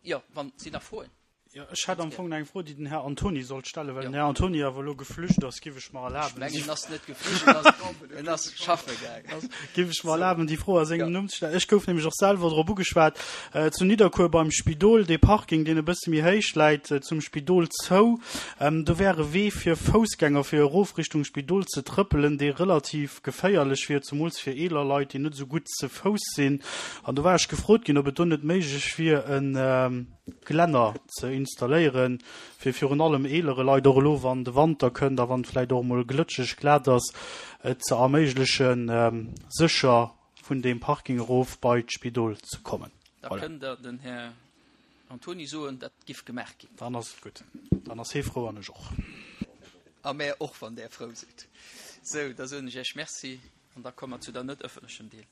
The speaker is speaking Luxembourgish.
Jo, wann sinn nach Froen? Jo, ech hätt am Fong nach eng Fro, déi den Här Antoni sollt stellen. Well den Här Antoni awer elo geflücht ass, giff ech mer erlaben. Ech mengen, en ass net geflücht, en ass, en ass schaffe gaangen. Giff ech mer erlaben, déi Fro a sengem Numm ze stellen. Ech gouf nämlech och selwer drop ugeschwat, zu Nidderkuer beim Spidol, dee Parking, deen e bësse méi héich läit, zum Spidol zou, do wär e Wee fir Foussgänger, fir erof Richtung Spidol ze trëppelen, dee relativ geféierlech wier, zemools fir eeler Leit, déi net esou gutt ze Fouss sinn. An do war ech gefrot ginn, ob et do net méiglech wier, e Glänner ze installéieren, fir virun allem eelere Leit, och elo wann de Wanter kënnt a wann et vläicht och emol glëtscheg glat ass, et ze erméiglechen, sécher vun deem Parking erof bei d'Spidol ze kommen. Da kënnt Der den Här Antoni soen, dat giff gemaach ginn. Dann ass et gutt. Dann ass hee frou an ech och. A mär och, wann Där frou sidd. Sou, da soen ech Iech Merci an da komme mer zu der net ëffentlechem Deel.